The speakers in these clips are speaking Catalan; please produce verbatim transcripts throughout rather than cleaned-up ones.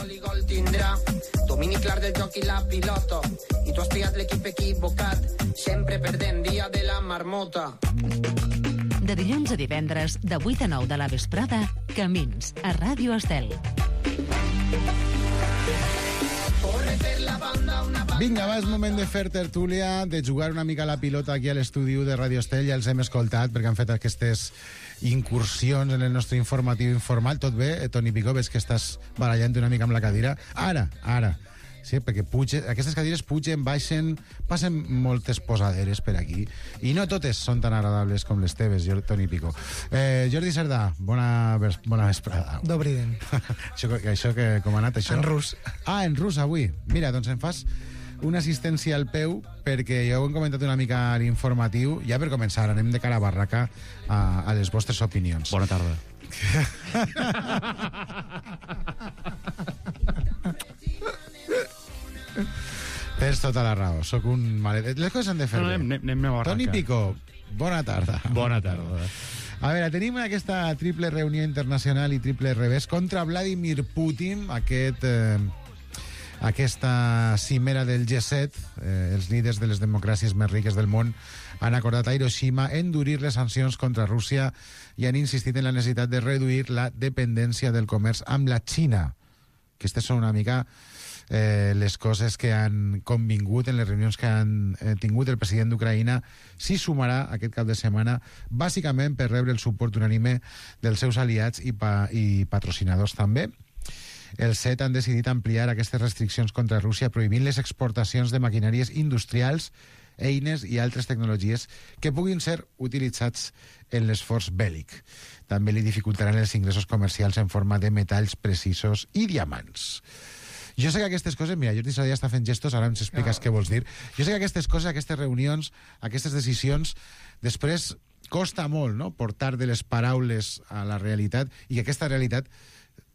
gol i gol tindrà. Domini clar del joc i la pilota. I tu has triat l'equip equivocat. Sempre perdent dia de la marmota. De dilluns a divendres, de vuit a nou de la vesprada, Camins, a Ràdio Estel. Vinga, va, és moment de fer tertúlia, de jugar una mica a la pilota aquí a l'estudi de Ràdio Estel. Ja els hem escoltat perquè han fet aquestes incursions en el nostre informatiu informal. Tot bé, eh, Toni Picó? Ves que estàs barallant una mica amb la cadira. Ara, ara. Sí, perquè puge, aquestes cadires pugen, baixen, passen moltes posaderes per aquí, i no totes són tan agradables com les teves, Toni Picó. Eh, Jordi Cerdà, bona, bona vesprada. Dobry den. això, això que, com ha anat, això? En rus. Ah, en rus, avui. Mira, doncs em fas una assistència al peu, perquè ja ho hem comentat una mica a l'informatiu. Ja per començar, anem de cara a barraca a, a les vostres opinions. Bona tarda. Tens tota la raó, sóc un malet. Les coses s'han de fer no, bé. Anem, anem a barraca. Toni Picó, bona tarda. Bona tarda. A veure, tenim aquesta triple reunió internacional i triple revés contra Vladimir Putin, aquest, eh, aquesta cimera del G set. Eh, els líders de les democràcies més riques del món han acordat a Hiroshima endurir les sancions contra Rússia i han insistit en la necessitat de reduir la dependència del comerç amb la Xina. Aquestes són una mica eh, les coses que han convingut en les reunions que han eh, tingut el president d'Ucraïna. S'hi sumarà aquest cap de setmana, bàsicament per rebre el suport unànime dels seus aliats i, pa, i patrocinadors també. Els set han decidit ampliar aquestes restriccions contra Rússia, prohibint les exportacions de maquinàries industrials, eines i altres tecnologies que puguin ser utilitzats en l'esforç bèl·lic. També li dificultaran els ingressos comercials en forma de metalls precisos i diamants. Jo sé que aquestes coses... Mira, Jordi Sadia està fent gestos, ara ens expliques no. què vols dir. Jo sé que aquestes coses, aquestes reunions, aquestes decisions, després costa molt, no?, portar de les paraules a la realitat i que aquesta realitat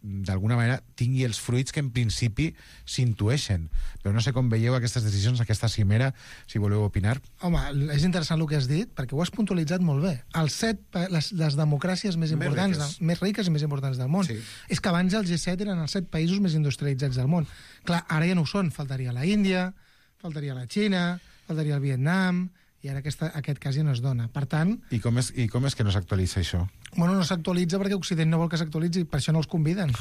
d'alguna manera tingui els fruits que en principi s'intueixen. Però no sé com veieu aquestes decisions, aquesta cimera, si voleu opinar. Home, és interessant el que has dit, perquè ho has puntualitzat molt bé. Els set, les, les democràcies més importants, més riques. De, més riques i més importants del món. Sí. És que abans el G set eren els set països més industrialitzats del món. Clar, ara ja no ho són. Faltaria la Índia, faltaria la Xina, faltaria el Vietnam, i ara aquesta, aquest cas ja no es dona. Per tant... I com és, i com és que no s'actualitza això? Bueno, no s'actualitza perquè Occident no vol que s'actualitzi, per això no els conviden.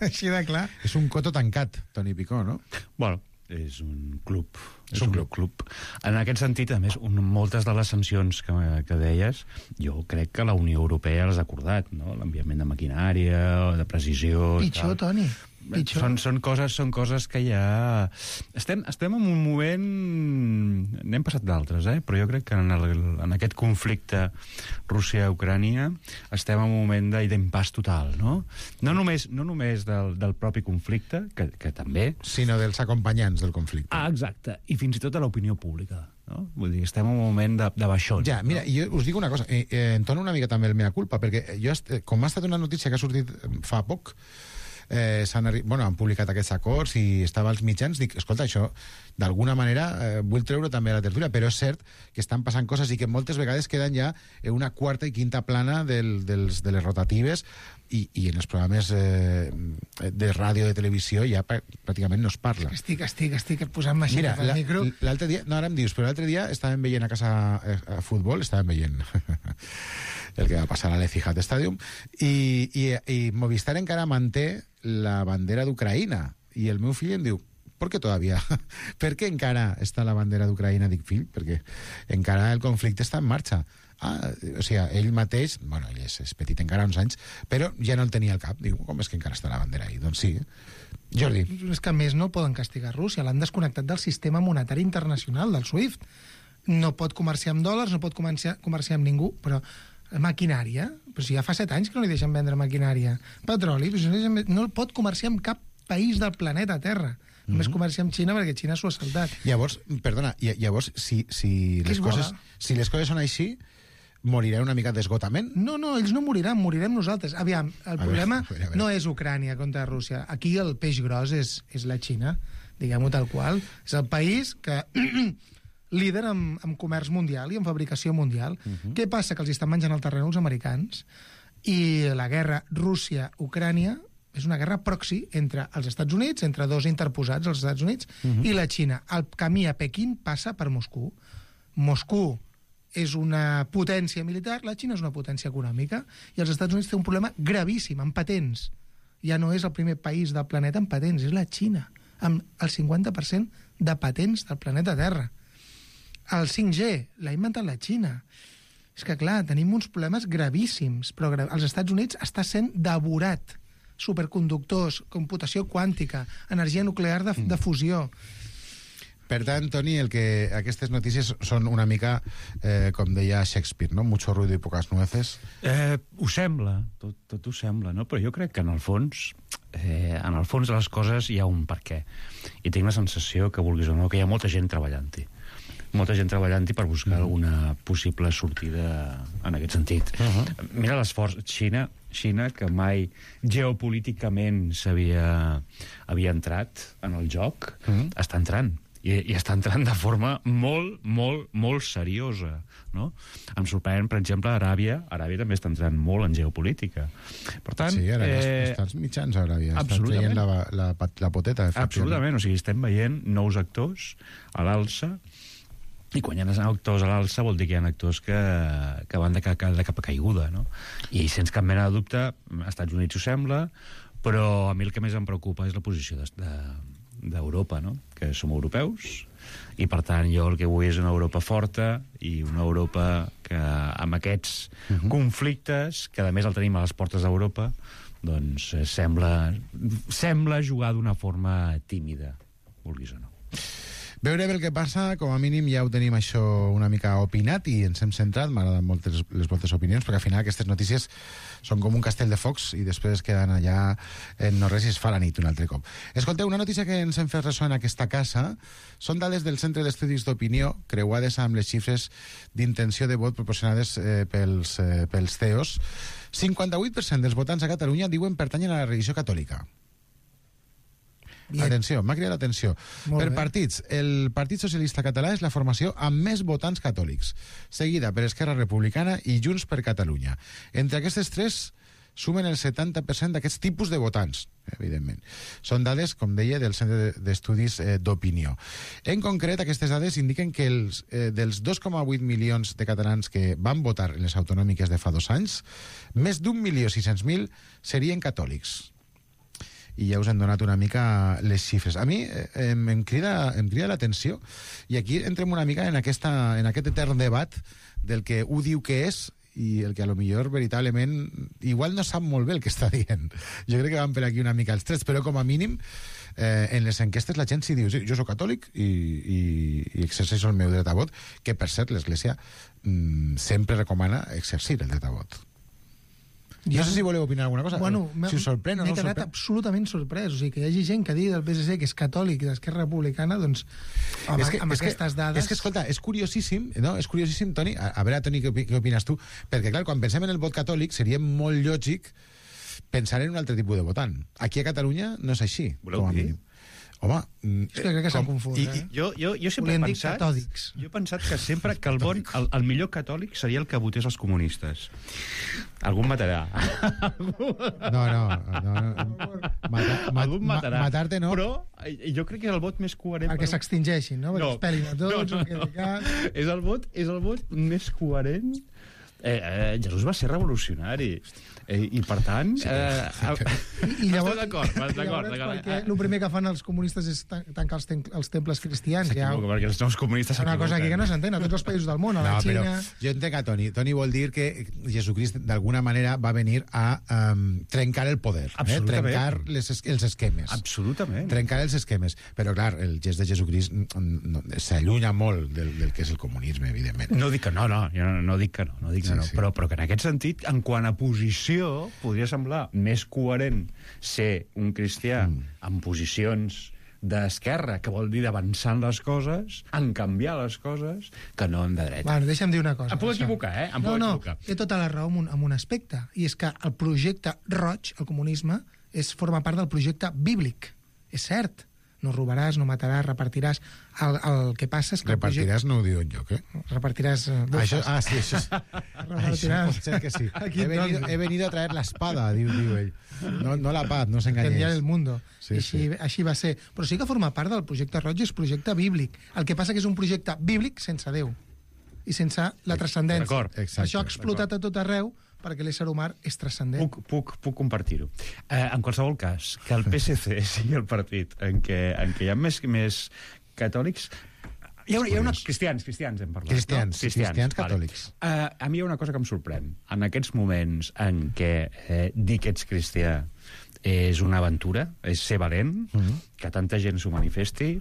Així de clar. És un coto tancat, Toni Picó, no? Bueno, és un club. És, és un, un club. club. En aquest sentit, a més, un, moltes de les sancions que, que deies, jo crec que la Unió Europea les ha acordat, no? L'enviament de maquinària, de precisió... Pitjor, tal. Toni. Són, són, coses, són coses que ja... Estem, estem en un moment... N'hem passat d'altres, eh? Però jo crec que en, el, en aquest conflicte Rússia-Ucrània estem en un moment d'impàs total, no? No només, no només del, del propi conflicte, que, que també... Sinó dels acompanyants del conflicte. Ah, exacte. I fins i tot a l'opinió pública. No? Vull dir, estem en un moment de, de baixón. Ja, mira, no? Jo us dic una cosa, eh, eh, entono una mica també el mea culpa, perquè jo, com ha estat una notícia que ha sortit fa poc, eh, s'han bueno, han publicat aquests acords i estava als mitjans, dic, escolta, això d'alguna manera eh, vull treure també a la tertúlia, però és cert que estan passant coses i que moltes vegades queden ja en una quarta i quinta plana del, dels, de les rotatives i, i en els programes eh, de ràdio, de televisió ja pràcticament no es parla. Estic, estic, estic posant-me així Mira, pel la, micro. L'altre dia, no ara em dius, però l'altre dia estàvem veient a casa a, a futbol, estàvem veient el que va passar a l'Etihad Stadium i, i, i Movistar encara manté la bandera d'Ucraïna i el meu fill em diu, ¿por qué todavía? ¿Per què encara està la bandera d'Ucraïna? Dic, fill, perquè encara el conflicte està en marxa. Ah, o sigui, ell mateix, bueno, ell és, és petit encara, uns anys, però ja no el tenia al cap. Diu, com és que encara està la bandera ahí? Doncs sí. Jordi. És que a més no poden castigar Rússia, l'han desconnectat del sistema monetari internacional, del SWIFT. No pot comerciar amb dòlars, no pot comerciar, comerciar amb ningú, però maquinària, però si ja fa set anys que no li deixen vendre maquinària. Petroli, però si no, deixen, no pot comerciar amb cap país del planeta Terra. Només mm-hmm. comercia amb Xina perquè Xina s'ho ha saltat. Llavors, perdona, llavors, si, si, les coses, si les coses són així, morirà una mica d'esgotament? No, no, ells no moriran, morirem nosaltres. Aviam, el a problema veure, a veure, a veure. no és Ucrània contra Rússia. Aquí el peix gros és, és la Xina, diguem-ho tal qual. És el país que... líder en, en comerç mundial i en fabricació mundial. Uh-huh. Què passa? Que els estan menjant el terreny els americans i la guerra Rússia-Ucrània és una guerra proxy entre els Estats Units, entre dos interposats, els Estats Units, uh-huh. i la Xina. El camí a Pequín passa per Moscou. Moscou és una potència militar, la Xina és una potència econòmica, i els Estats Units té un problema gravíssim, amb patents. Ja no és el primer país del planeta amb patents, és la Xina, amb el cinquanta per cent de patents del planeta Terra. El cinc G l'ha inventat la Xina. És que, clar, tenim uns problemes gravíssims, però gra... els Estats Units està sent devorat. Superconductors, computació quàntica, energia nuclear de, de fusió. Per tant, Toni, el que aquestes notícies són una mica, eh, com deia Shakespeare, no? Mucho ruido y pocas nueces. Eh, ho sembla, tot, tot ho sembla, no? Però jo crec que en el fons, eh, en el fons de les coses hi ha un per què. I tinc la sensació que, vulguis o no, que hi ha molta gent treballant-hi. molta gent treballant-hi per buscar uh-huh. alguna possible sortida en aquest sentit. Uh-huh. Mira l'esforç. Xina, Xina, que mai geopolíticament s'havia havia entrat en el joc, uh-huh. està entrant. I, i està entrant de forma molt, molt, molt seriosa, no? Em sorprèn, per exemple, Aràbia. Aràbia també està entrant molt en geopolítica. Per tant... Sí, ara eh, està als mitjans, Aràbia. Estan traient la, la, la poteta. Absolutament. O sigui, estem veient nous actors a l'alça, i quan hi ha actors a l'alça vol dir que hi ha actors que, que van de, de, de cap a caiguda, no? I sense cap mena de dubte, als Estats Units ho sembla, però a mi el que més em preocupa és la posició de, de, d'Europa, no? Que som europeus, i per tant jo el que vull és una Europa forta i una Europa que amb aquests uh-huh. conflictes, que a més el tenim a les portes d'Europa, doncs eh, sembla, sembla jugar d'una forma tímida, vulguis o no. Veurem el que passa, com a mínim ja ho tenim això una mica opinat i ens hem centrat, m'agraden molt les, les vostres opinions, perquè al final aquestes notícies són com un castell de focs i després queden allà en no res i es fa la nit un altre cop. Escolteu, una notícia que ens hem fet ressò en aquesta casa són dades del Centre d'Estudis d'Opinió creuades amb les xifres d'intenció de vot proporcionades eh, pels, eh, pels C E Os. cinquanta-vuit per cent dels votants a Catalunya diuen pertanyen a la religió catòlica. Bien. Atenció, m'ha cridat l'atenció. Per bé. Partits, el Partit Socialista Català és la formació amb més votants catòlics, seguida per Esquerra Republicana i Junts per Catalunya. Entre aquestes tres sumen el setanta per cent d'aquests tipus de votants, evidentment. Són dades, com deia, del Centre d'Estudis eh, d'Opinió. En concret, aquestes dades indiquen que els, eh, dels dos coma vuit milions de catalans que van votar en les autonòmiques de fa dos anys, més d'un milió sis-cents mil serien catòlics. I ja us hem donat una mica les xifres. A mi eh, em, crida, em crida l'atenció, i aquí entrem una mica en, aquesta, en aquest etern debat del que ho diu que és i el que a lo millor veritablement igual no sap molt bé el que està dient. Jo crec que van per aquí una mica els trets, però com a mínim eh, en les enquestes la gent sí diu sí, jo soc catòlic i, i, i exerceixo el meu dret a vot, que per cert l'Església mm, sempre recomana exercir el dret a vot. No sé si voleu opinar alguna cosa. Bueno, si us sorprèn o no us sorprèn. M'he quedat absolutament sorprès. O sigui, que hi hagi gent que digui del P S C que és catòlic i d'Esquerra Republicana, doncs, amb, és que, amb és aquestes que, dades... És que, escolta, és curiosíssim, no? És curiosíssim, Toni, a, a veure, Toni, què, què opines tu? Perquè, clar, quan pensem en el vot catòlic, seria molt lògic pensar en un altre tipus de votant. Aquí a Catalunya no és així. Voleu dir? Home, és que crec que s'han confós, eh? I, jo, jo, jo sempre he pensat, catòlics. jo he pensat que sempre que el, bon, el, el millor catòlic seria el que votés els comunistes. Algú em matarà. No, no. no, no. Mata, ma, Algú em matarà. Matar-te no. Però jo crec que és el vot més coherent. Perquè per... s'extingeixin, no? Perquè no, es pelin a tots. no, no, no. És, el vot, és el vot més coherent. Eh, eh, Jesús va ser revolucionari. Eh, I per tant... Sí. Eh, I, i llavors, d'acord, i d'acord. Perquè el primer que fan els comunistes és tancar els, ten els temples cristians. Ja, perquè els nous comunistes s'equivoquen. Una cosa aquí que no s'entén a tots els països del món, a la no, Xina... Però jo entenc a Toni. Toni vol dir que Jesucrist d'alguna manera va venir a um, trencar el poder, eh? Trencar les, els esquemes. Absolutament. Trencar els esquemes. Però, clar, el gest de Jesucrist no, s'allunya molt del, del que és el comunisme, evidentment. No dic que no, no. Jo no, no dic que no. no, dic sí, que no. Sí. Però, però que en aquest sentit, en quant a posició, podria semblar més coherent ser un cristià mm. en posicions d'esquerra, que vol dir d'avançar en les coses, en canviar les coses, que no en de dreta. Bueno, deixa'm dir una cosa. Em puc això. equivocar, eh? Em no, puc no, equivocar. té tota la raó en un, en un aspecte, i és que el projecte roig, el comunisme, és, forma part del projecte bíblic. És cert. no robaràs, no mataràs, repartiràs. El, el que passa és que... Repartiràs no ho diu enlloc, eh? Repartiràs... Eh, això, ah, sí, això, és... això pot ser que sí. He venido, he venido a traer la espada, diu, diu ell. No, no la paz, no s'enganyés. Canviar el mundo. Sí, així, sí. així va ser. Però sí que forma part del projecte Roig, és projecte bíblic. El que passa que és un projecte bíblic sense Déu i sense la transcendència. D'acord, exacte. Això ha explotat a tot arreu perquè l'ésser humà és transcendent. Puc, puc, puc compartir-ho. Eh, en qualsevol cas, que el P S C sigui el partit en què, en què hi ha més, més catòlics... Hi ha, una, hi ha una... Cristians, cristians hem parlat. Cristians, no? cristians, cristians vale. catòlics. Uh, a mi hi ha una cosa que em sorprèn. En aquests moments en què eh, dir que ets cristià és una aventura, és ser valent, mm-hmm. que tanta gent s'ho manifesti,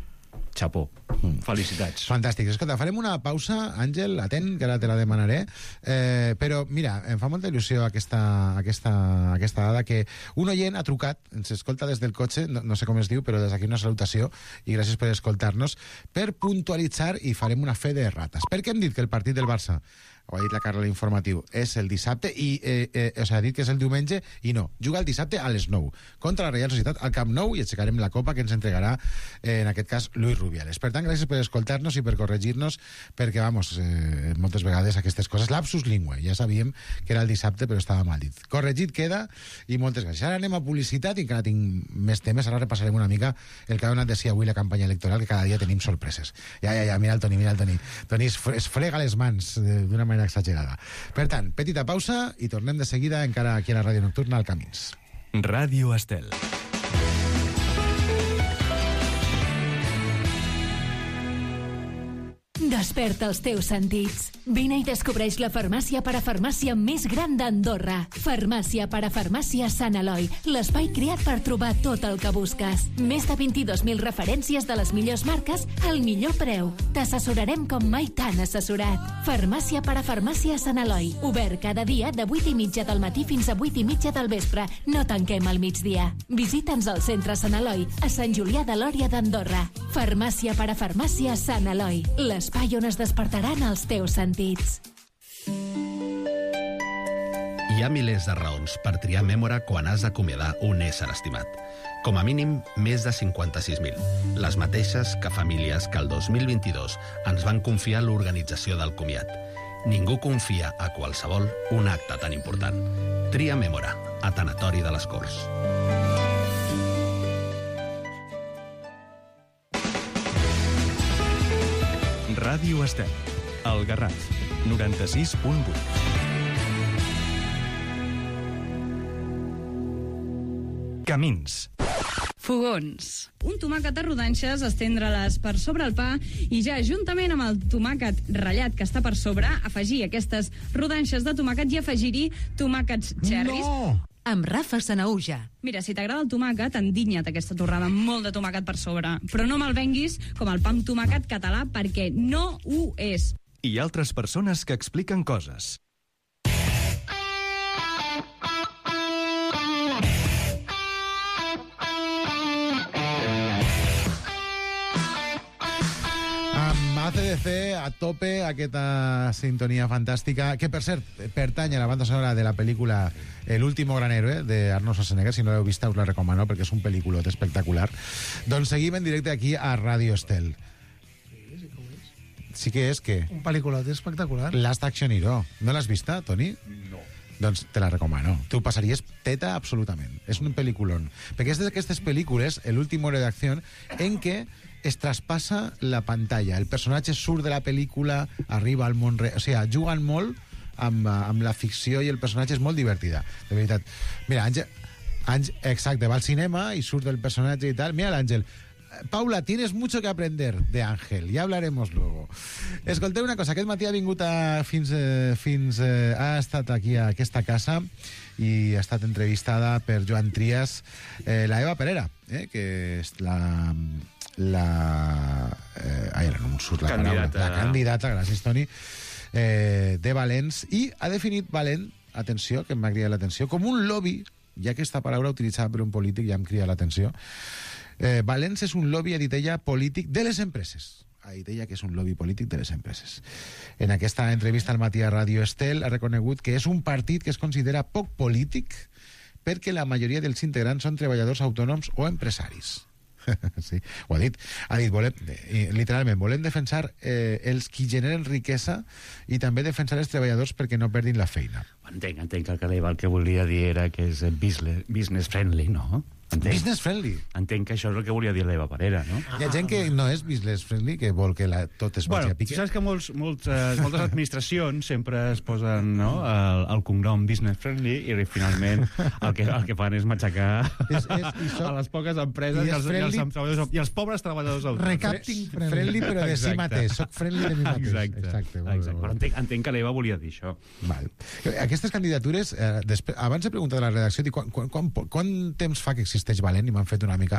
xapó. Mm. Felicitats. Fantàstic. Escolta, farem una pausa, Àngel, atent, que ara te la demanaré. Eh, però, mira, em fa molta il·lusió aquesta, aquesta, aquesta dada que un oient ha trucat, ens escolta des del cotxe, no, no sé com es diu, però des d'aquí una salutació i gràcies per escoltar-nos, per puntualitzar i farem una fe de rates. Per què hem dit que el partit del Barça, ho ha dit la Carla a l'informatiu, és el dissabte i eh, eh, o sigui, ha dit que és el diumenge i no, juga el dissabte a les nou contra la Reial Societat al Camp Nou i aixecarem la copa que ens entregarà eh, en aquest cas Luis Rubiales. Per tant, gràcies per escoltar-nos i per corregir-nos perquè, vamos, eh, moltes vegades aquestes coses, lapsus lingüe, ja sabíem que era el dissabte però estava mal dit. Corregit queda i moltes gràcies. Ara anem a publicitat i encara tinc més temes, ara repassarem una mica el que ha donat de si avui la campanya electoral, que cada dia tenim sorpreses. Ja, ja, ja, mira el Toni, mira el Toni. Toni es, es frega les mans d'una manera exagerada. Per tant, petita pausa i tornem de seguida encara aquí a la Ràdio Nocturna al Camins. Ràdio Estel. Desperta els teus sentits. Vine i descobreix la farmàcia parafarmàcia més gran d'Andorra. Farmàcia parafarmàcia Sant Eloi, l'espai creat per trobar tot el que busques. Més de vint-i-dos mil referències de les millors marques al millor preu. T'assessorarem com mai t'han assessorat. Farmàcia parafarmàcia Sant Eloi, obert cada dia de vuit i mitja del matí fins a vuit i mitja del vespre. No tanquem al migdia. Visita'ns al centre Sant Eloi, a Sant Julià de Lòria d'Andorra. Farmàcia parafarmàcia Sant Eloi, l'espai on es despertaran els teus sentits. Hi ha milers de raons per triar Mémora quan has d'acomiadar un ésser estimat. Com a mínim, més de cinquanta-sis mil. Les mateixes que famílies que el dos mil vint-i-dos ens van confiar l'organització del comiat. Ningú confia a qualsevol un acte tan important. Tria Mémora, a Tanatori de les Corts. Ràdio Estel, el Garraf, noranta-sis punt vuit. Camins. Fogons. Un tomàquet a rodanxes, estendre-les per sobre el pa i ja juntament amb el tomàquet ratllat que està per sobre, afegir aquestes rodanxes de tomàquet i afegir-hi tomàquets cherries. No! Amb Rafa Sanaúja. Mira, si t'agrada el tomàquet, endinya't aquesta torrada amb molt de tomàquet per sobre. Però no me'l venguis com el pa amb tomàquet català, perquè no ho és. I altres persones que expliquen coses. A C D C, a tope, aquesta sintonia fantàstica, que per cert, pertany a la banda sonora de la pel·lícula El último gran héroe, de Arnold Schwarzenegger. Si no l'heu vista, us la recomano, perquè és un pel·lículot espectacular. Doncs seguim en directe aquí a Ràdio Estel. Sí que és que... Un pel·lículot espectacular. Last Action Hero. No l'has vista, Toni? No. Doncs te la recomano. Tu passaries teta absolutament. És un pel·lículon. Perquè és d'aquestes pel·lícules, El último héroe d'acció, en què es traspassa la pantalla. El personatge surt de la pel·lícula, arriba al món real. O sigui, juguen molt amb, amb la ficció i el personatge és molt divertida. De veritat. Mira, Àngel, Àngel, exacte, va al cinema i surt el personatge i tal. Mira l'Àngel. Paula, tienes mucho que aprender de Ángel, ya hablaremos luego. Escolteu una cosa, aquest matí ha vingut a, fins, eh, fins eh, ha estat aquí a aquesta casa i ha estat entrevistada per Joan Trias, eh, la Eva Perera, eh, que és la... la eh, ai, no em surt la candidata. paraula, la candidata, gràcies Toni, eh, de Valens, i ha definit Valent, atenció, que m'ha cridat l'atenció, com un lobby, ja que aquesta paraula utilitzada per un polític ja em crida l'atenció. Eh, Valens és un lobby, ha dit ella, polític de les empreses. Ha dit ella que és un lobby polític de les empreses. En aquesta entrevista al matí a Ràdio Estel ha reconegut que és un partit que es considera poc polític perquè la majoria dels integrants són treballadors autònoms o empresaris. Sí, ho ha dit. Ha dit, volem, literalment, volem defensar eh, els qui generen riquesa i també defensar els treballadors perquè no perdin la feina. Entenc, entenc que el Caleva el que volia dir era que és business, business friendly, no? Entenc. Business friendly. Entenc que això és el que volia dir l'Eva Parera, no? Hi ha gent que no és business friendly, que vol que la, tot es vagi Bueno, a pique. saps que molts, molts, eh, moltes administracions sempre es posen, no, el, el cognom business friendly i finalment el que, el que fan és matxacar És- és- i so- a les poques empreses i i, és els, friendly- i, els, treballadors, i els pobres treballadors autònoms. Recapting friendly. Friendly, però de si Exacte. mateix. Soc friendly de mi mateix. Exacte, Exacte, molt bé, exacte. molt Però bé. entenc, entenc que l'Eva volia dir això. Val. Aquestes candidatures, eh, després, abans he preguntat a la redacció dic, quan, quan, quan, quant temps fa que existeix Valent, i m'han fet una mica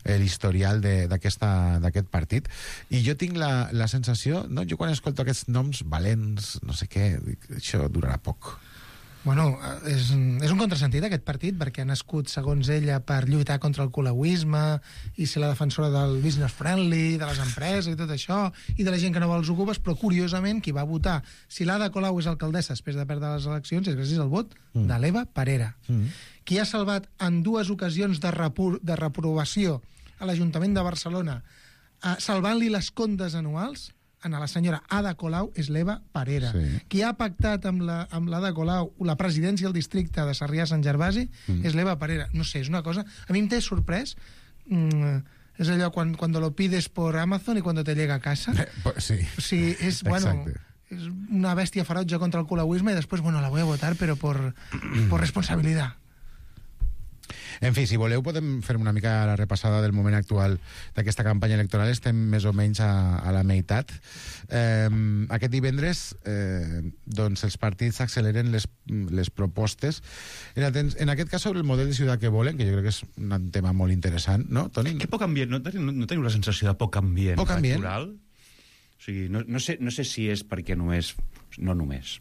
eh, l'historial de- d'aquesta- d'aquest partit, i jo tinc la, la sensació, no? Jo quan escolto aquests noms valents, no sé què, dic, això durarà poc. Bueno, és, és un contrasentit aquest partit perquè ha nascut, segons ella, per lluitar contra el colauisme i ser la defensora del business friendly, de les empreses i tot això, i de la gent que no vol els ocupes, però curiosament qui va votar, si l'Ada Colau és alcaldessa després de perdre les eleccions, és gràcies al vot mm. de l'Eva Parera. Mm. Qui ha salvat en dues ocasions de, repro de reprovació a l'Ajuntament de Barcelona, eh, salvant-li les comptes anuals, a la senyora Ada Colau és l'Eva Parera. Sí. Qui ha pactat amb la, amb l'Ada Colau la presidència del districte de Sarrià-Sant Gervasi mm. és l'Eva Parera. No sé, és una cosa... A mi em té sorprès. Mm, és allò quan, cuando lo pides por Amazon y cuando te llega a casa. Eh, pues sí. O sigui, és, bueno, Exacte. és una bèstia ferotge contra el colauisme i després, bueno, la voy a votar, pero por, por responsabilidad. En fi, si voleu podem fer una mica la repassada del moment actual d'aquesta campanya electoral. Estem més o menys a, a la meitat. Eh, aquest divendres eh, doncs els partits acceleren les, les propostes. En, aten- en aquest cas sobre el model de ciutat que volen, que jo crec que és un tema molt interessant, no, Toni? Que poc ambient, no, teniu- no teniu la sensació de poc ambient Poc ambient? electoral? O sigui, no, no, sé, no sé si és perquè només... No només.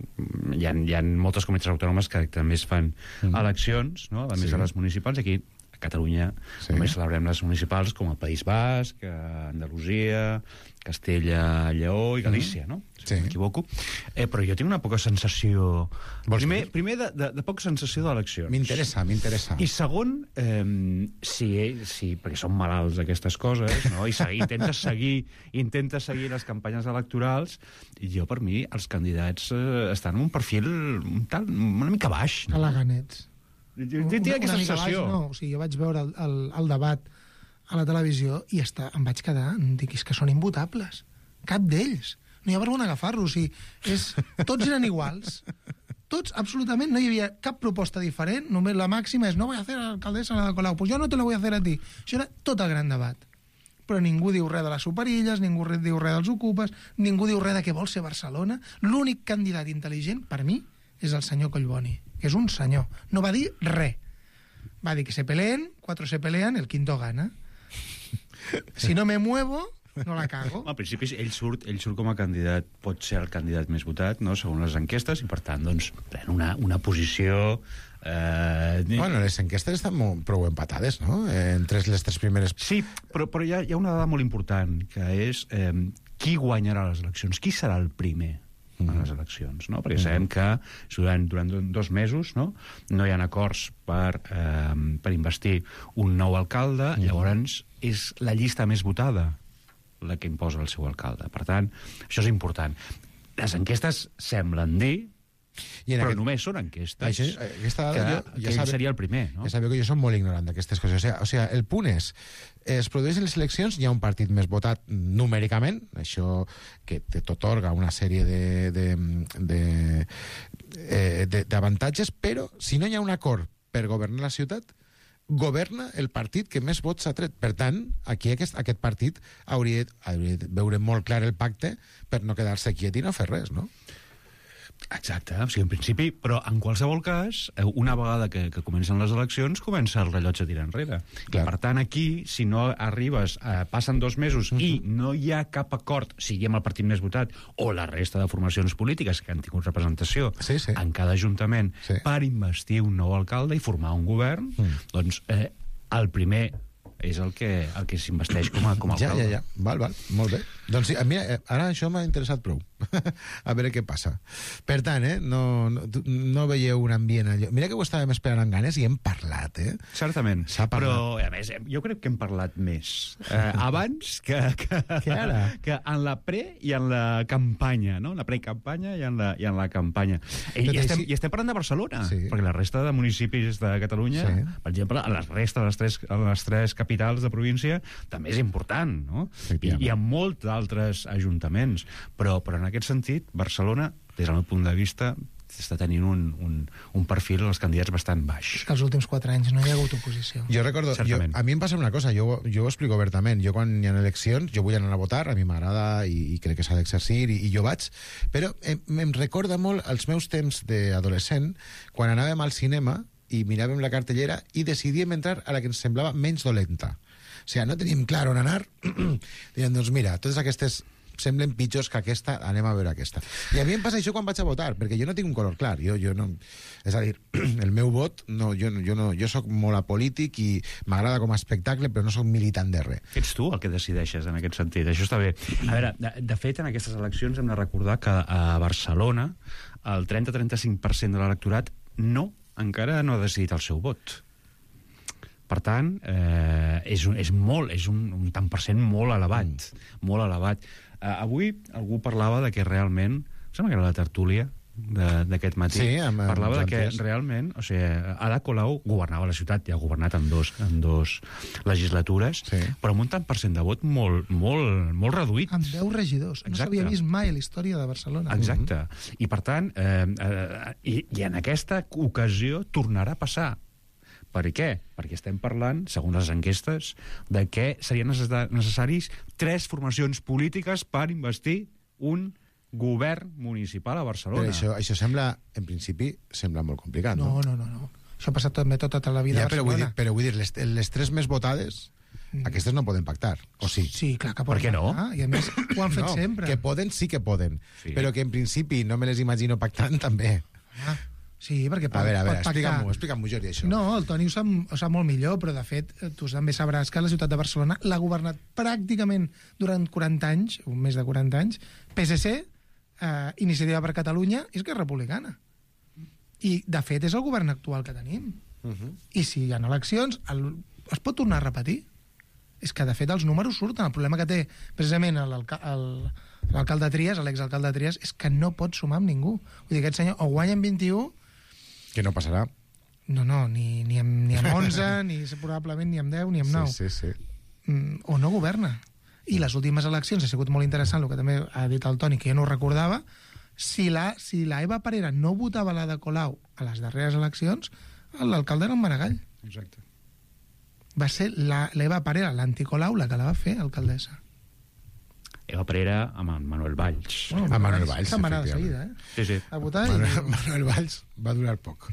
Hi ha, hi ha moltes comunitats autònomes que també es fan mm. eleccions, no? a més Sí. de les municipals. Aquí, a Catalunya, Sí. només celebrem les municipals com el País Basc, Andalusia, Castella, Lleó i Galícia, no? Si Sí. no m'equivoco. Eh, però jo tinc una poca sensació... Vols Primer, dir? primer de, de, de poca sensació d'eleccions. M'interessa, m'interessa. I segon, eh, si, si, perquè són malalts aquestes coses, no? I seguir, intentes seguir intentes seguir les campanyes electorals, i jo, per mi, els candidats eh, estan en un perfil un tal, una mica baix. A la Ganets. Jo tinc aquesta mica sensació. baix, no. O sigui, jo vaig veure el, el, el debat a la televisió i està, em vaig quedar, dic, és que són imvotables. Cap d'ells. No hi ha per on agafar-los. O sigui, és, tots eren iguals. Tots, absolutament, no hi havia cap proposta diferent, només la màxima és no voy a hacer alcaldessa Ada Colau, pues yo no te lo voy a hacer a ti. Això era tot el gran debat. Però ningú diu res de les superilles, ningú diu res dels ocupes, ningú diu res de què vol ser Barcelona. L'únic candidat intel·ligent, per mi, és el senyor Collboni, que és un senyor. No va dir res. Va dir que se peleen, cuatro se pelean, el quinto gana. Si no me muevo, no la cago. Al principi ell surt, ell surt com a candidat, pot ser el candidat més votat, no?, segons les enquestes, i per tant, doncs, pren una, una posició... Eh... Bueno, les enquestes estan molt, prou empatades, no? Eh, entre les tres primeres... Sí, però, però hi, ha, hi ha una dada molt important, que és eh, qui guanyarà les eleccions, qui serà el primer en les eleccions, no? Perquè sabem que durant, durant dos mesos, no, no hi ha acords per, eh, per investir un nou alcalde, llavors és la llista més votada la que imposa el seu alcalde. Per tant, això és important. Les enquestes semblen dir, I en però aquest- només són enquestes, Això, aquesta que, dada jo, que ja ell sabe- seria el primer, no? Ja sabeu que jo soc molt ignorant d'aquestes coses. O sigui, o sigui, el punt és, es produeixen les eleccions, hi ha un partit més votat numèricament, això que t'otorga una sèrie de, de, de, eh, de, d'avantatges, però si no hi ha un acord per governar la ciutat, governa el partit que més vots ha tret. Per tant, aquí aquest, aquest partit hauria, hauria de veure molt clar el pacte per no quedar-se quiet i no fer res, no? Exacte, o sigui, en principi, però en qualsevol cas, eh, una vegada que, que comencen les eleccions, comença el rellotge a tirar enrere. Clar. I per tant, aquí, si no arribes, eh, passen dos mesos uh -huh. i no hi ha cap acord, sigui amb el partit més votat o la resta de formacions polítiques que han tingut representació Sí, sí. en cada ajuntament Sí. per investir un nou alcalde i formar un govern, Mm. doncs eh, el primer és el que, el que s'investeix com a, com a Ja, alcalde. ja, ja. Val, val. Molt bé. Doncs sí, mira, ara això m'ha interessat prou. A veure què passa. Per tant, eh, no, no, no veieu un ambient allò. Mira que ho estàvem esperant amb ganes i hem parlat, eh? Certament. S'ha parlat. Però, a més, jo crec que hem parlat més eh, abans que, que, Que ara. que en la pre i en la campanya, no? En la pre-campanya i en la, i en la campanya. I, Tot i, estem, així- I estem parlant de Barcelona, Sí. perquè la resta de municipis de Catalunya, Sí. per exemple, a la resta de les tres, a les tres capitals de província, també és important, no? I, i hi ha molts d'altres ajuntaments. Però, però en aquest sentit, Barcelona, des del meu punt de vista, està tenint un, un, un perfil als candidats bastant baix. És que els últims quatre anys no hi ha hagut oposició. Jo recordo, jo, Certament. a mi em passa una cosa, jo, jo ho explico obertament, jo quan hi ha eleccions, jo vull anar a votar, a mi m'agrada i, i crec que s'ha d'exercir i, i jo vaig, però em, em recorda molt els meus temps d'adolescent, quan anàvem al cinema i miràvem la cartellera i decidíem entrar a la que ens semblava menys dolenta. O sigui, no teníem clar on anar, diem, doncs mira, totes aquestes semblen pitjors que aquesta, anem a veure aquesta. I a mi em passa això quan vaig a votar, perquè jo no tinc un color clar, jo, jo no... És a dir, el meu vot, no, jo, jo, no, jo soc molt apolític i m'agrada com a espectacle, però no soc militant de res. Ets tu el que decideixes en aquest sentit, això està bé. A veure, de, de fet, en aquestes eleccions hem de recordar que a Barcelona el trenta a trenta-cinc per cent de l'electorat no, encara no ha decidit el seu vot. Per tant, eh, és, un, és molt, és un, un tant per cent molt elevat, mm. molt elevat. Eh, avui algú parlava de que realment, em sembla que era la tertúlia d'aquest matí, Sí, amb- amb parlava de que Joan Ties. realment, o sigui, Ada Colau governava la ciutat, ja ha governat en dos, en dos legislatures, Sí. però amb un tant per cent de vot molt, molt, molt reduït. Amb deu regidors. No Exacte. s'havia vist mai a la història de Barcelona. Exacte. I per tant, eh, eh, i, i en aquesta ocasió tornarà a passar. Per què? Perquè estem parlant, segons les enquestes, de que serien necessa- necessaris tres formacions polítiques per investir un govern municipal a Barcelona. Però això, això sembla, en principi, sembla molt complicat, no? No, no, no. no. Això ha passat també tota la vida Ja, a però vull dir, Barcelona. però vull dir les, les tres més votades, Mm. aquestes no poden pactar, o sí? Sí, clar que Per poden què no? pactar, I a més ho han fet no, sempre. que poden, sí que poden, Sí. però que en principi no me les imagino pactant també. Ah, sí, perquè pot, A veure, a veure, pot pactar. explica'm-ho, explica'm-ho, Jordi, això. No, el Toni ho sap, ho sap molt millor, però de fet tu també sabràs que la ciutat de Barcelona l'ha governat pràcticament durant quaranta anys, o més de quaranta anys, P S C, eh, Iniciativa per Catalunya i Esquerra Republicana. I, de fet, és el govern actual que tenim. Uh -huh. I si hi ha eleccions, el, es pot tornar a repetir. És que, de fet, els números surten. El problema que té, precisament, l'alca- el- l'alcalde Trias, l'exalcalde Trias, és que no pot sumar amb ningú. Vull dir, aquest senyor o guanya amb vint-i-u, Que no passarà. no, no, ni, ni, amb, ni amb onze, ni probablement ni amb deu, ni amb nou. Sí, sí, sí. Mm, o no governa. I les últimes eleccions ha sigut molt interessant, el que també ha dit el Toni, que jo no ho recordava, si la, si la Eva Parera no votava la de Colau a les darreres eleccions, l'alcalde era en Maragall. Exacte. Va ser la- l'Eva Parera, l'anticolau, la que la va fer alcaldessa. Eva Parera amb en Manuel Valls. Bueno, A Manuel Valls, se'n va anar de efectivament. seguida, eh? Sí, sí. A votar Manuel, i... Manuel Valls va durar poc.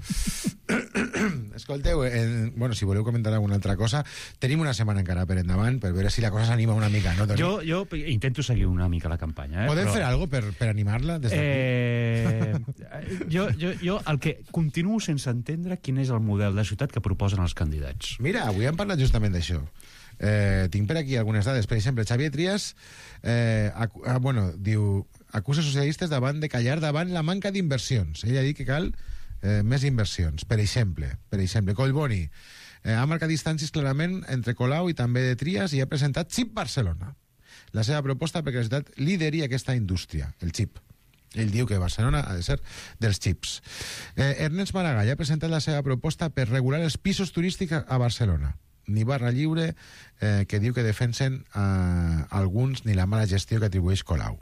Escolteu, eh, bueno, si voleu comentar alguna altra cosa, tenim una setmana encara per endavant per veure si la cosa s'anima una mica, no, Toni? Jo, jo intento seguir una mica la campanya. Eh? Podem però... fer alguna cosa per, per animar-la des d'aquí? Eh, jo, jo, jo el que continuo sense entendre quin és el model de ciutat que proposen els candidats. Mira, avui hem parlat justament d'això. Eh, tinc per aquí algunes dades. Per exemple, Xavier Trias eh, acu ah, bueno, diu, acusa socialistes davant de callar davant la manca d'inversions. Ell ha dit que cal eh, més inversions. Per exemple, per exemple Collboni eh, ha marcat distàncies clarament entre Colau i també de Trias i ha presentat Chip Barcelona, la seva proposta perquè la ciutat lideri aquesta indústria, el xip. Ell diu que Barcelona ha de ser dels xips. Eh, Ernest Maragall ha presentat la seva proposta per regular els pisos turístics a Barcelona. Ni Barra Lliure, eh, que diu que defensen eh, alguns, ni la mala gestió que atribueix Colau.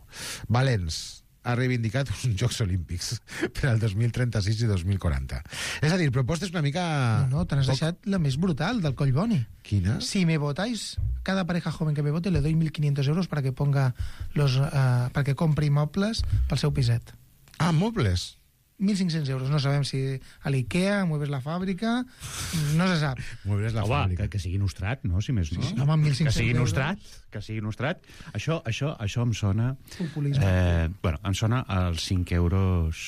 Valens ha reivindicat uns Jocs Olímpics per al dos mil trenta-sis i dos mil quaranta. És a dir, propostes una mica... No, no, te n'has poc- deixat la més brutal, del Collboni. Quina? Si me votáis, cada pareja joven que me vote le doy mil quinientos euros para que ponga los, uh, para que compre mobles pel seu piset. Ah, mobles. mil cinc-cents euros. No sabem si a l'Ikea, Muebles la Fàbrica, no se sap. Muebles la Home, Fàbrica. que, que sigui nostrat, no? Si més no. Sí, sí. Home, mil cinc-cents que sigui euros. nostrat, que sigui nostrat. Això, això, això em sona... Populisme. Eh, bueno, em sona als cinc euros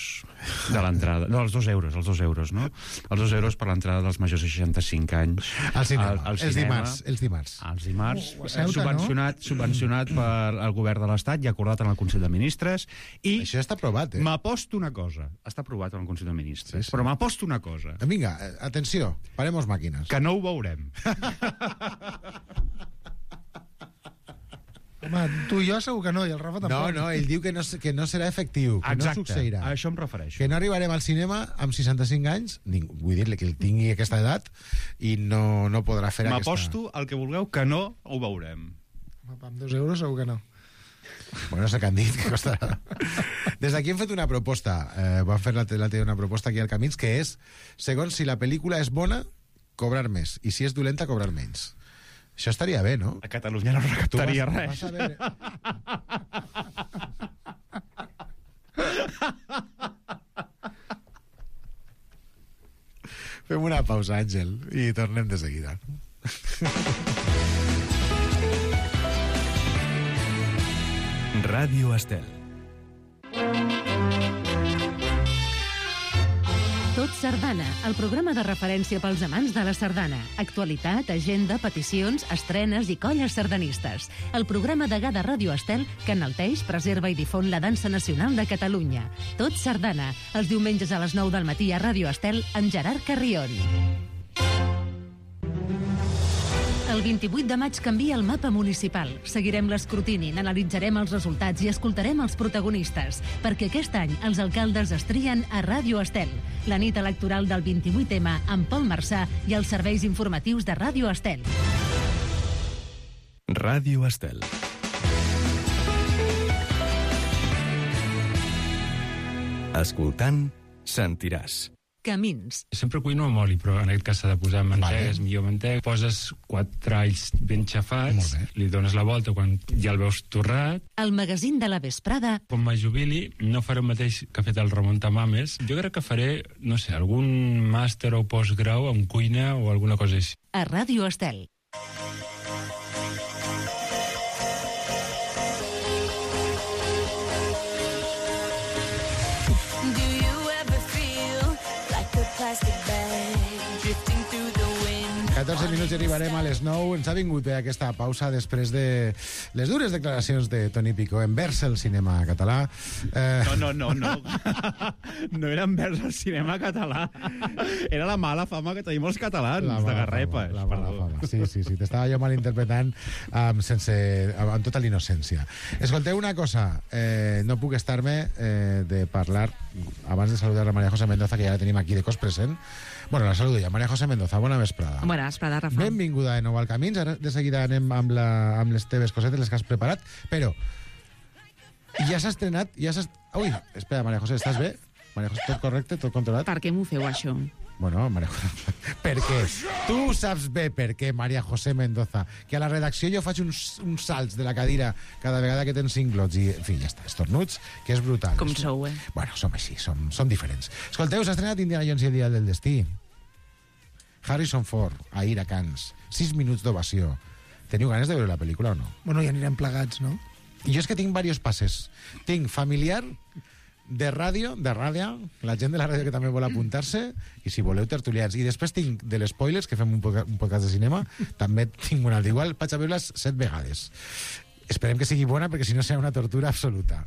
de l'entrada. No, als dos euros, als dos euros, no? Els dos euros per l'entrada dels majors de seixanta-cinc anys. Al cinema, al, al els cinema. dimarts. Els dimarts. Els dimarts, Oh, a Ceuta, subvencionat, no? subvencionat per el govern de l'Estat i acordat en el Consell de Ministres. I Això està aprovat, eh? m'aposto una cosa. Està aprovat en el Consell de Ministres. Sí, sí. Però m'aposto una cosa. Vinga, eh, atenció, paremos màquines. Que no ho veurem. Home, tu i jo segur que no, i el Rafa No, tampoc. no, ell diu que no, que no serà efectiu, que Exacte, no succeirà. a això em refereixo. Que no arribarem al cinema amb seixanta-cinc anys, ningú, vull dir-li que ell tingui aquesta edat i no, no podrà fer aquesta... M'aposto el que vulgueu que no ho veurem. Home, amb dos euros segur que no. Bueno, no sé què han dit, que costarà. Des d'aquí hem fet una proposta, eh, vam fer l'altre dia una proposta aquí al Camins, que és, segons si la pel·lícula és bona, cobrar més, i si és dolenta, cobrar menys. Això estaria bé, no? A Catalunya no recaptaria vas, res. Vas a veure... Fem una pausa, Àngel, i tornem de seguida. Ràdio Estel. Tot Sardana, el programa de referència pels amants de la sardana. Actualitat, agenda, peticions, estrenes i colles sardanistes. El programa degà de Ràdio Estel que enalteix, preserva i difon la dansa nacional de Catalunya. Tot Sardana, els diumenges a les nou del matí a Ràdio Estel amb Gerard Carrion. El vint-i-vuit de maig canvia el mapa municipal. Seguirem l'escrutini, n'analitzarem els resultats i escoltarem els protagonistes, perquè aquest any els alcaldes es trien a Ràdio Estel. La nit electoral del vint-i-vuit ema amb Pol Marçà i els serveis informatius de Ràdio Estel. Ràdio Estel. Escoltant, sentiràs. Camins. Sempre cuino amb oli, però en aquest cas s'ha de posar mantega, Vale. és millor mantega. Poses quatre alls ben xafats, Molt bé. li dones la volta quan ja el veus torrat. El magazín de la vesprada Quan me jubili no faré el mateix que ha fet el Ramon Tamames. Jo crec que faré, no sé, algun màster o postgrau en cuina o alguna cosa així. a Ràdio Estel. Do you ever feel like a plastic bag drifting through the wind? catorze minuts i arribarem a les nou. Ens ha vingut bé aquesta pausa després de les dures declaracions de Toni Picó envers el cinema català. Eh... No, no, no, no. No era envers el cinema català. Era la mala fama que tenim els catalans, La de mala garrepes. fama, la mala perdó. fama. Sí, sí, sí, t'estava jo malinterpretant amb, sense, amb, amb tota la innocència. Escolteu una cosa, eh, no puc estar-me eh, de parlar, abans de saludar a María José Mendoza, que ja la tenim aquí de cos present. Bueno, la saludo ja. María José Mendoza, bona vesprada. Bona vesprada, Rafa. Benvinguda de nou al Camins. Ara de seguida anem amb, la, amb les teves cosetes, les que has preparat, però ja s'ha estrenat, ja s'ha... Ui, espera, María José, estàs bé? María José, tot correcte, tot controlat? Per què m'ho feu, això? Bueno, María José, per què? Tu saps bé per què, María José Mendoza, que a la redacció jo faig uns, uns salts de la cadira cada vegada que tens cinc glots i, en fi, ja està, estornuts, que és brutal. Com sou, eh? Bueno, som així, som, som diferents. Escolteu, s'ha estrenat Indiana Jones i el dia del destí. Harrison Ford, ahir a Cannes. Sis minuts d'ovació. Teniu ganes de veure la pel·lícula o no? Bueno, ja anirem plegats, no? I jo és que tinc diversos passes. Tinc familiar, de ràdio, de ràdio, la gent de la ràdio que també vol apuntar-se, i si voleu tertulians. I després tinc de les spoilers, que fem un podcast, un podcast de cinema, també tinc una altra. Igual vaig a veure-les set vegades. Esperem que sigui bona, perquè si no serà una tortura absoluta.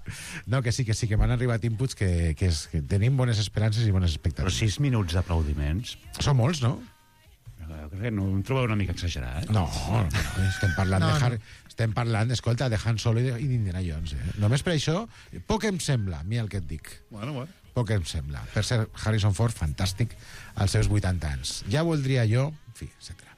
No, que sí, que sí, que m'han arribat inputs que, que, és, que tenim bones esperances i bones Però expectatives. sis minuts d'aplaudiments... Són molts, no? Jo crec que no em trobeu una mica exagerat. No, no, no, estem parlant No, de no. Harry, estem parlant, escolta, de Han Solo i de- i d'Indiana Jones. Eh? Només per això, poc em sembla, a mi el que et dic. Bueno, bueno. Poc em sembla. Per ser Harrison Ford, fantàstic, als seus vuitanta anys. Ja voldria jo, en fi, etcètera.